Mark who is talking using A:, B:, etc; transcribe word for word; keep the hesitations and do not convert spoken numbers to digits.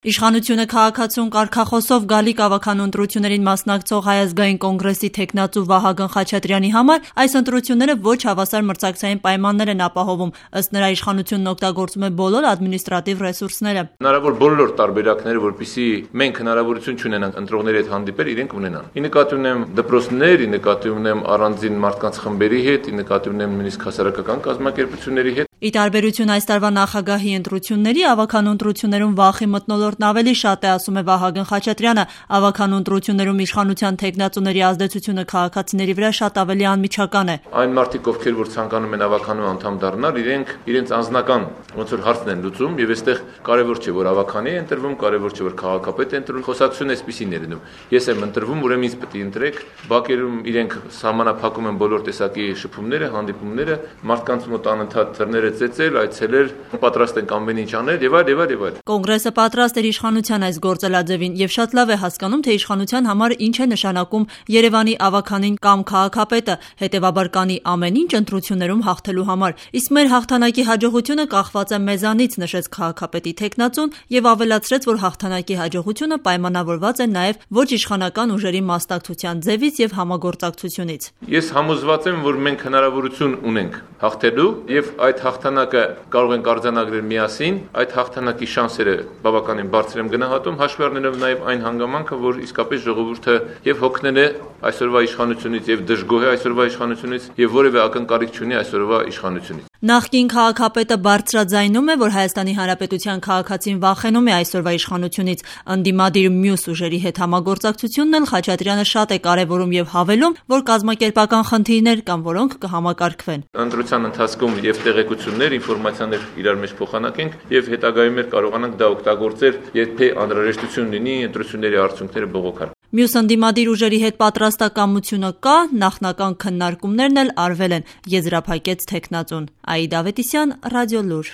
A: Իշխանությունը քաղաքացուն կարգախոսով գալիք ավագանու ընտրություններին մասնակցող Հայ ազգային կոնգրեսի թեկնածու Վահագն Խաչատրյանի համար այս ընտրությունները ոչ հավասար մրցակցային պայմաններ են ապահովում, ըստ նրա իշխանությունն օգտագործում է բոլոր ադմինիստրատիվ ռեսուրսները։
B: Հնարավոր բոլոր տարբերակները, որպեսզի մենք հնարավորություն չունենանք ընտրողների հետ հանդիպել, իրենք ունենան։ Ի նկատի ունեմ դպրոցներ, ի նկատի ունեմ առանձին մարդկանց խմբերի հետ, ի նկատի ունեմ նույնիսկ հասարակական կազմակերպությունների հետ։
A: Ի տարբերություն այս տարվա նախագահի ընտրությունների, ավագանու ընտրություններում վախի մթնոլորտն ավելի շատ է, ասում է Վահագն Խաչատրյանը։ Ավագանու ընտրություններում իշխանության թեկնածուների ազդեցությունը քաղաքացիների վրա շատ ավելի անմիջական է։
B: Այն մարդիկ, ովքեր որ ցանկանում են ավագանու անդամ դառնալ, իրենք իրենց անձնական ոնց որ հարցն են լուծում, եւ այստեղ կարեւոր չէ, որ ավագանի է ընտրվում, կարեւոր չէ, որ քաղաքապետ է ընտրվում, խոսակցությունը այսպեսին է լինում։ Ես եմ ընտրվում, ուրեմն ինձ պետք է ընտրեք։ Բակերում իրենք սահմանափակում են բոլոր տեսակի շփումները, հանդիպումները, մարդկանց մոտ անընդհատ դռները ծեծել, այցելել, պատրաստ են ամեն ինչ անել եւ այլ եւ այլ եւ այլ։
A: Կոնգրեսը պատրաստ է իշխանության այս գործելաձևին եւ շատ լավ է հասկանում, թե իշխանության համար ինչ է նշանակում Երևանի ավագանին կամ քաղաքապետը, հետեւաբար կանի ամեն ինչ ընտրություններում հաղթելու համար։ Իսկ մեր հաղթանակի հաջողությունը կախված է մեզանից, նշեց քաղաքապետի թեկնածուն եւ ավելացրեց, որ հաղթանակի հաջողությունը պայմանավորված է նաեւ ոչ իշխանական ուժերի մասնակցության ձևից եւ համագործակցությունից։
B: Ես համոզված եմ, որ մենք հնարավորություն ունենք հաղթելու եւ այդ հաղթանակը կարող ենք արձանագրել միասին, այդ հաղթանակի շանսերը բավականին բարձր եմ գնահատում, հաշվի առնելով նաև այն հանգամանքը, որ իսկապես ժողովուրդը եւ հոգնել է այսօրվա իշխանությունից եւ դժգոհ է այսօրվա իշխանությունից եւ որևէ ակնկալիք չունի այսօրվա իշխանությունից։
A: Նախկին քաղաքապետը բարձրաձայնում է, որ Հայաստանի Հանրապետության քաղաքացին վախենում է այսօրվա իշխանությունից։ Ընդդիմադիր մյուս ուժերի հետ համագործակցությունն էլ Խաչատրյանը շատ է կարևորում եւ հավելում, որ կազմակերպական խնդիրներ կան, որոնք կհամակարգվեն։
B: Ընտրության ընթացքում եւ տեղեկություններ, ինֆորմացիաներ իրար մեջ փոխանակենք եւ հետագայում էլ կարողանանք դա օգտագործել, եթե անհրաժեշտություն լինի ընտրությունների արդյունքները բողոքել։
A: Մյուս ընդդիմադիր ուժերի հետ պատրաստակամությունը կա, նախնական քննարկումներն էլ արվել են, եզրափակեց թեկնածուն։ Աիդա Ավետիսյան, Ռադիոլուր։